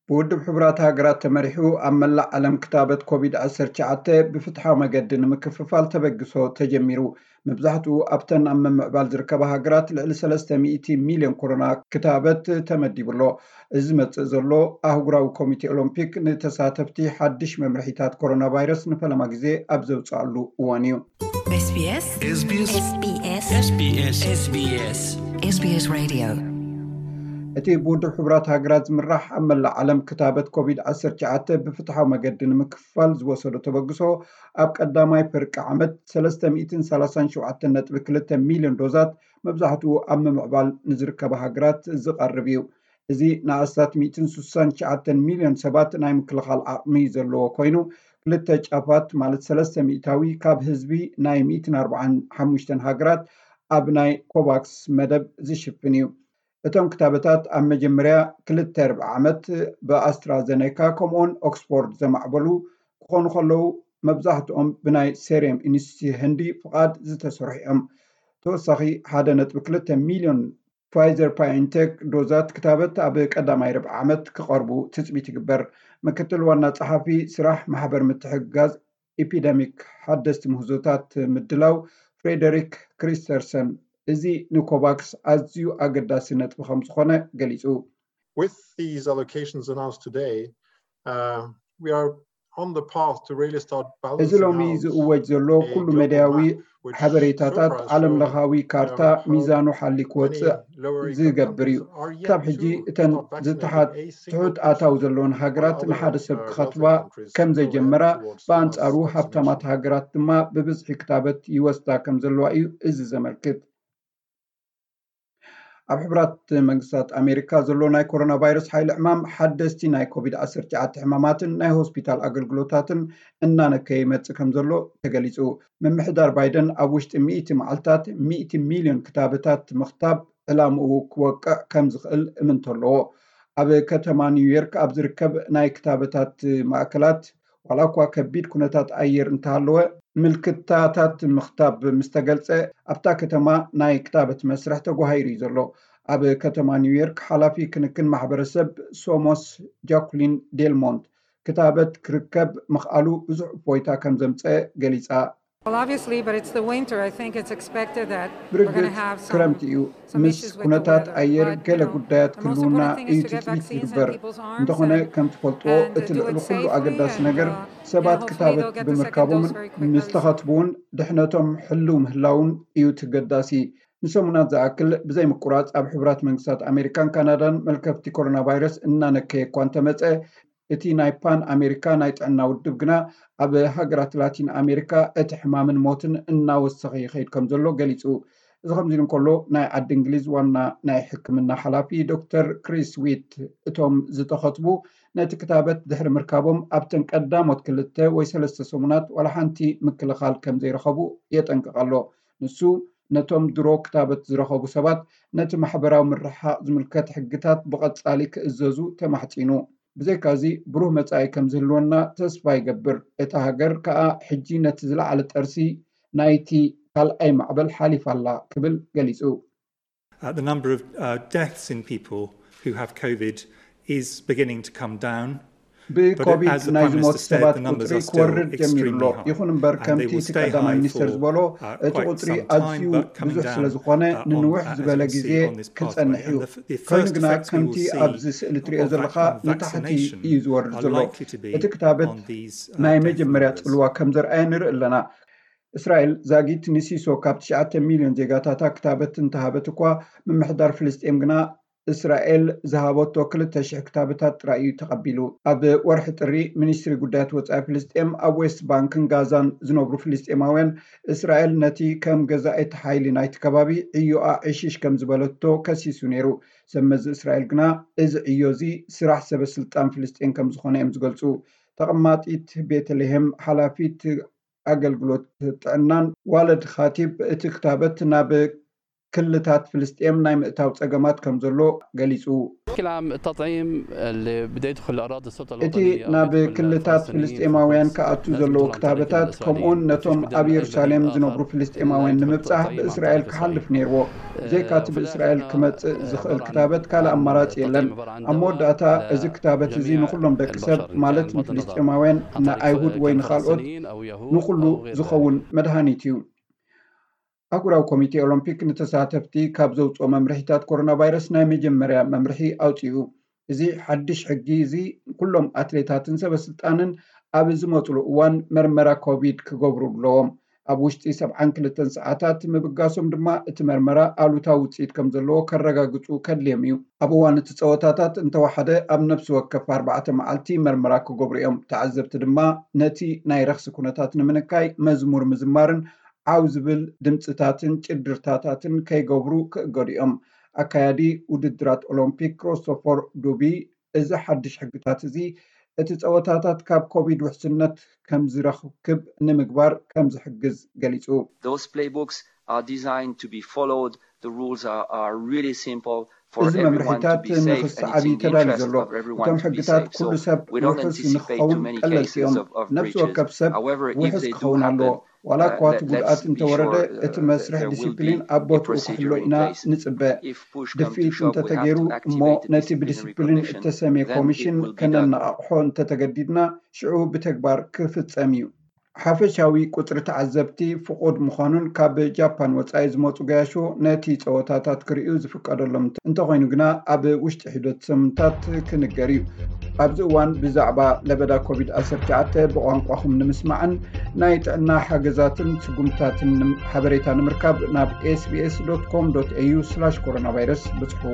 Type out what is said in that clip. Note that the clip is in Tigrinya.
ብውድብ ሕቡራት ሃገራት ተመሪሑ ኣብ መላእ ዓለም ክታበት ኮቪድ ዓሰርተ ትሽዓተ ብፍትሓዊ መገዲ ንምክፍፋል ተበግሶ ተጀሚሩ። መብዛሕትኡ ኣብተን ኣብ ምምዕባል ዝርከባ ሃገራት ልዕሊ ሰለስተ ሚእቲ ሚልዮን ኮሮና ክታበት ተመዲቡ ኣሎ። እዚ ዝመጽእ ዘሎ ኣህጉራዊ ኮሚቴ ኦሎምፒክ ንተሳተፍቲ ሓድሽ መምርሒታት ኮሮና ቫይረስ ንፈለማ ግዜ ኣብ ዘውጽኣሉ እዋን እዩ። SBS SBS SBS SBS SBS Radio እቲ ብውድብ ሕቡራት ሃገራት ዝምራሕ ኣብ መላእ ዓለም ክታበት ኮቪድ ዓሰርተ ትሽዓተ ብፍትሓዊ መገዲ ንምክፍፋል ዝወሰዶ ተበግሶ ኣብ ቀዳማይ ፍርቂ ዓመት ሰለስተ ሚእትን ሰላሳን ሸውዓተን ነጥቢ ክልተ ሚልዮን ዶዛት መብዛሕትኡ ኣብ ምምዕባል ንዝርከባ ሃገራት ዝቐርብ እዩ። እዚ ንኣስታት ሚእትን ስሳን ትሽዓተን ሚልዮን ሰባት ናይ ምክልኻል ዓቕሚ ዘለዎ ኮይኑ ክልተ ጫፋት ማለት ሰለስተ ሚእታዊ ካብ ህዝቢ ናይ ሚእትን ኣርባዓን ሓሙሽተን ሃገራት ኣብ ናይ ኮቫክስ መደብ ዝሽፍን እዩ። እቶም ክታበታት ኣብ መጀመርያ ክልተ ርብዒ ዓመት ብኣስትራዘኔካ ከምኡውን ኦክስፎርድ ዘማዕበሉ ክኾኑ ከለዉ መብዛሕትኦም ብናይ ሴሬም ኢንስቲትዩት ህንዲ ፍቓድ ዝተሰርሑ እዮም። ተወሳኺ ሓደ ነጥቢ ክልተ ሚልዮን ፋይዘር ባዮንቴክ ዶዛት ክታበት ኣብ ቀዳማይ ርብዒ ዓመት ክቐርቡ ትፅቢት ይግበር። ምክትል ዋና ጸሓፊ ስራሕ ማሕበር ምትሕግጋዝ ኢፒደሚክ ሓደስቲ ምህዞታት ምድላው ፍሬደሪክ ክሪስተርሰን እዚ ንኮቫክስ ኣዝዩ ኣገዳሲ ነጥቢ ከም ዝኾነ ገሊጹ። With these allocations announced today, uh, we are on the path to really start እዚ ሎሚ ዝእወጅ ዘሎ ኩሉ መዳያዊ ሓበሬታታት ዓለም ለኻዊ ካርታ ሚዛኑ ሓሊ ክወፅእ ዝገብር እዩ። ክሳብ ሕጂ እተን ዝተሓት ትሑት ኣታዊ ዘለዎን ሃገራት ንሓደ ሰብ ክኸትባ ከም ዘይጀመራ ብኣንጻሩ ሃብታማት ሃገራት ድማ ብብዝሒ ክታበት ይወስዳ ከም ዘለዋ እዩ እዚ ዘመልክት። ኣብ ሕቡራት መንግስታት ኣሜሪካ ዘሎ ናይ ኮሮና ቫይረስ ሓይሊ ዕማም ሓደስቲ ናይ ኮቪድ ዓሰርተ ትሽዓተ ሕማማትን ናይ ሆስፒታል ኣገልግሎታትን እናነከየ ይመጽእ ከም ዘሎ ተገሊጹ። ምምሕዳር ባይደን ኣብ ውሽጢ ሚእቲ መዓልታት ሚእቲ ሚልዮን ክታበታት ምኽታብ ዕላምኡ ክወቅዕ ከም ዝኽእል እምንቶ ኣለዎ። ኣብ ከተማ ኒውዮርክ ኣብ ዝርከብ ናይ ክታበታት ማእከላት ዋላ እኳ ከቢድ ኩነታት ኣየር እንተሃለወ ምልክታታት ምኽታብ ምስ ተገልጸ ኣብታ ከተማ ናይ ክታበት መስርሕ ተጓሂሩ እዩ ዘሎ። ኣብ ከተማ ኒውዮርክ ሓላፊ ክንክን ማሕበረሰብ ሶሞስ ጃኩሊን ዴልሞንት ክታበት ክርከብ ምኽኣሉ ብዙሕ እፎይታ ከም ዘምፀ ገሊፃ። Well, obviously, but it's the winter. I think it's expected that ብርግፅ ክረምቲ እዩ። ምስ ኩነታት ኣየር ገለ ጉዳያት ክህልውና እዩ ትፅቢት ዝግበር። እንተኾነ ከም ትፈልጥዎ እቲ ልዕሊ ኩሉ ኣገዳሲ ነገር ሰባት ክታበት ብምርካቦምን ምስ ተኸትቡ እውን ድሕነቶም ሕልው ምህላውን እዩ ተገዳሲ። ንሰሙናት ዝኣክል ብዘይ ምቁራፅ ኣብ ሕቡራት መንግስታት ኣሜሪካን ካናዳን መልከፍቲ ኮሮና ቫይረስ እናነከየ እኳ እንተመፀ እቲ ናይ ፓን ኣሜሪካ ናይ ጥዕና ውድብ ግና ኣብ ሃገራት ላቲን ኣሜሪካ እቲ ሕማምን ሞትን እናወሰኸ ይኸይድ ከም ዘሎ ገሊፁ። እዚ ከምዚ ኢሉ እንከሎ ናይ ዓዲ እንግሊዝ ዋና ናይ ሕክምና ሓላፊ ዶክተር ክሪስ ዊት እቶም ዝተኸትቡ ነቲ ክታበት ድሕሪ ምርካቦም ኣብተን ቀዳሞት ክልተ ወይ ሰለስተ ሰሙናት ዋላ ሓንቲ ምክልኻል ከም ዘይረኸቡ የጠንቅቕ ኣሎ። ንሱ ነቶም ድሮ ክታበት ዝረኸቡ ሰባት ነቲ ማሕበራዊ ምርሕሓቕ ዝምልከት ሕግታት ብቐጻሊ ክእዘዙ ተማሕጺኑ። ብዘይካዚ ብሩህ መጻኢ ከም ዝህልወና ተስፋ ይገብር። እታ ሃገር ከኣ ሕጂ ነቲ ዝለዓለ ጠርሲ ናይቲ ካልኣይ ማዕበል ሓሊፋ ኣላ ክብል ገሊጹ። Uh, the number of uh, deaths in people who have COVID is beginning to come down. ብኮቪድ ናይ ዝሞት ሰባት ቁፅሪ ክወርድ ጀሚሩ ኣሎ። ይኹን እምበር ከምቲ እቲ ቀዳማይ ሚኒስተር ዝበሎ እቲ ቁፅሪ ኣዝዩ ብዙሕ ስለ ዝኾነ ንንውሕ ዝበለ ግዜ ክፀንሕ እዩ። ኮይኑ ግና ከምቲ ኣብዚ ስእሊ ትሪኦ ዘለኻ ንታሕቲ እዩ ዝወርድ ዘሎ። እቲ ክታበት ናይ መጀመርያ ፅልዋ ከም ዘርኣየ ንርኢ ኣለና። እስራኤል ዛጊት ንሲሶ ካብ ትሽዓተ ሚልዮን ዜጋታታ ክታበት እንተሃበት እኳ ምምሕዳር ፍልስጤም ግና እስራኤል ዝሃበቶ ክልተ ሽሕ ክታበታት ጥራይ እዩ ተቐቢሉ። ኣብ ወርሒ ጥሪ ሚኒስትሪ ጉዳያት ወጻኢ ፍልስጤም ኣብ ዌስት ባንክን ጋዛን ዝነብሩ ፍልስጤማውያን እስራኤል ነቲ ከም ገዛኢት ሓይሊ ናይቲ ከባቢ ዕዮኣ ዕሽሽ ከም ዝበለቶ ከሲሱ ነይሩ። ሰብ መዚ እስራኤል ግና እዚ ዕዮ እዚ ስራሕ ሰበ ስልጣን ፍልስጤም ከም ዝኾነ እዮም ዝገልጹ። ተቐማጢት ቤተልሔም ሓላፊት ኣገልግሎት ጥዕናን ዋለድ ኻቲብ እቲ ክታበት ናብ ክልታት ፍልስጤም ናይ ምእታው ጸገማት ከም ዘሎ ገሊጹ። ክላም ተጥዒም ብደይት ኩሉ ኣራድ ሰልጠ እቲ ናብ ክልታት ፍልስጤማውያን ክኣቱ ዘለዎ ክታበታት ከምኡውን ነቶም ኣብ የሩሳሌም ዝነብሩ ፍልስጤማውያን ንምብጻሕ ብእስራኤል ክሓልፍ ነይርዎ። ብዘይካቲ ብእስራኤል ክመጽእ ዝኽእል ክታበት ካልእ ኣማራጺ የለን። ኣብ መወዳእታ እዚ ክታበት እዚ ንኹሎም ደቂ ሰብ ማለት ንፍልስጤማውያን፣ ንኣይሁድ ወይ ንኻልኦት ንኹሉ ዝኸውን መድሃኒት እዩ። ኣህጉራዊ ኮሚቴ ኦሎምፒክ ንተሳተፍቲ ካብ ዘውፅኦ መምርሒታት ኮሮና ቫይረስ ናይ መጀመርያ መምርሒ ኣውፂኡ። እዚ ሓድሽ ሕጊ እዚ ኩሎም ኣትሌታትን ሰበስልጣንን ኣብ ዝመፅሉ እዋን መርመራ ኮቪድ ክገብሩ ኣለዎም። ኣብ ውሽጢ ሰብዓን ክልተን ሰዓታት ምብጋሶም ድማ እቲ መርመራ ኣሉታዊ ውፅኢት ከም ዘለዎ ከረጋግፁ ከድልዮም እዩ። ኣብ እዋን እቲ ፀወታታት እንተወሓደ ኣብ ነፍሲ ወከፍ ኣርባዕተ መዓልቲ መርመራ ክገብሩ እዮም። ተዓዘብቲ ድማ ነቲ ናይ ረኽሲ ኩነታት ንምንካይ መዝሙር ምዝማርን ዓው ዝብል ድምፅታትን ጭድርታታትን ከይገብሩ ክእገዱ እዮም። ኣካያዲ ውድድራት ኦሎምፒክ ክሪስቶፈር ዱቢ፣ እዚ ሓድሽ ሕግታት እዚ እቲ ፀወታታት ካብ ኮቪድ ውሕስነት ከም ዝረክብ ንምግባር ከም ዝሕግዝ ገሊፁ። Those playbooks are designed to be followed. The rules are, are really simple for እዚ everyone to መምርሒታት be safe, and it's ንክሰዓብ in እዩ the ተዳልዩ interest ዘሎ። of everyone እቶም to be ሕግታት safe. ኩሉ So ሰብ we don't ውሑስ anticipate too ንክኸውን many ቀለልቲ cases እዮም። of, of ነፍሲ breaches. ወከፍ ሰብ However, if ውሑስ they do ክኸውን ኣለዎ። happen, ዋላ uh, እኳ እቲ let, let ጉድኣት me be እንተወረደ sure uh, እቲ መስርሕ there will be ዲሲፕሊን ኣብ a ቦትኡ ክሕሎ procedure in ኢና place. ንፅበ። If push come to ድፍኢት shove, we have እንተተገይሩ to እሞ activate the ነቲ disciplinary ብዲሲፕሊን commission. እተሰምየ Then ኮሚሽን it will be done. ከነነቓቕሖ እንተተገዲድና ሽዑ ብተግባር ክፍፀም እዩ። ሓፈሻዊ ቁፅሪ ተዓዘብቲ ፍቑድ ምዃኑን ካብ ጃፓን ወፃኢ ዝመፁ ገያሾ ነቲ ፀወታታት ክርእዩ ዝፍቀደሎም እንተ- እንተኾይኑ ግና ኣብ ውሽጢ ሒደት ሰሙንታት ክንገር እዩ። ኣብዚ እዋን ብዛዕባ ለበዳ ኮቪድ ዓሰርተ ትሽዓተ ብቋንቋኹም ንምስማዕን ናይ ጥዕና ሓገዛትን ስጉምታትን ንም- ሓበሬታ ንምርካብ ናብ ኤስቢኤስ ዶት ኮም ዶት ኤዩ ስላሽ ኮሮና ቫይረስ ብፅሑ።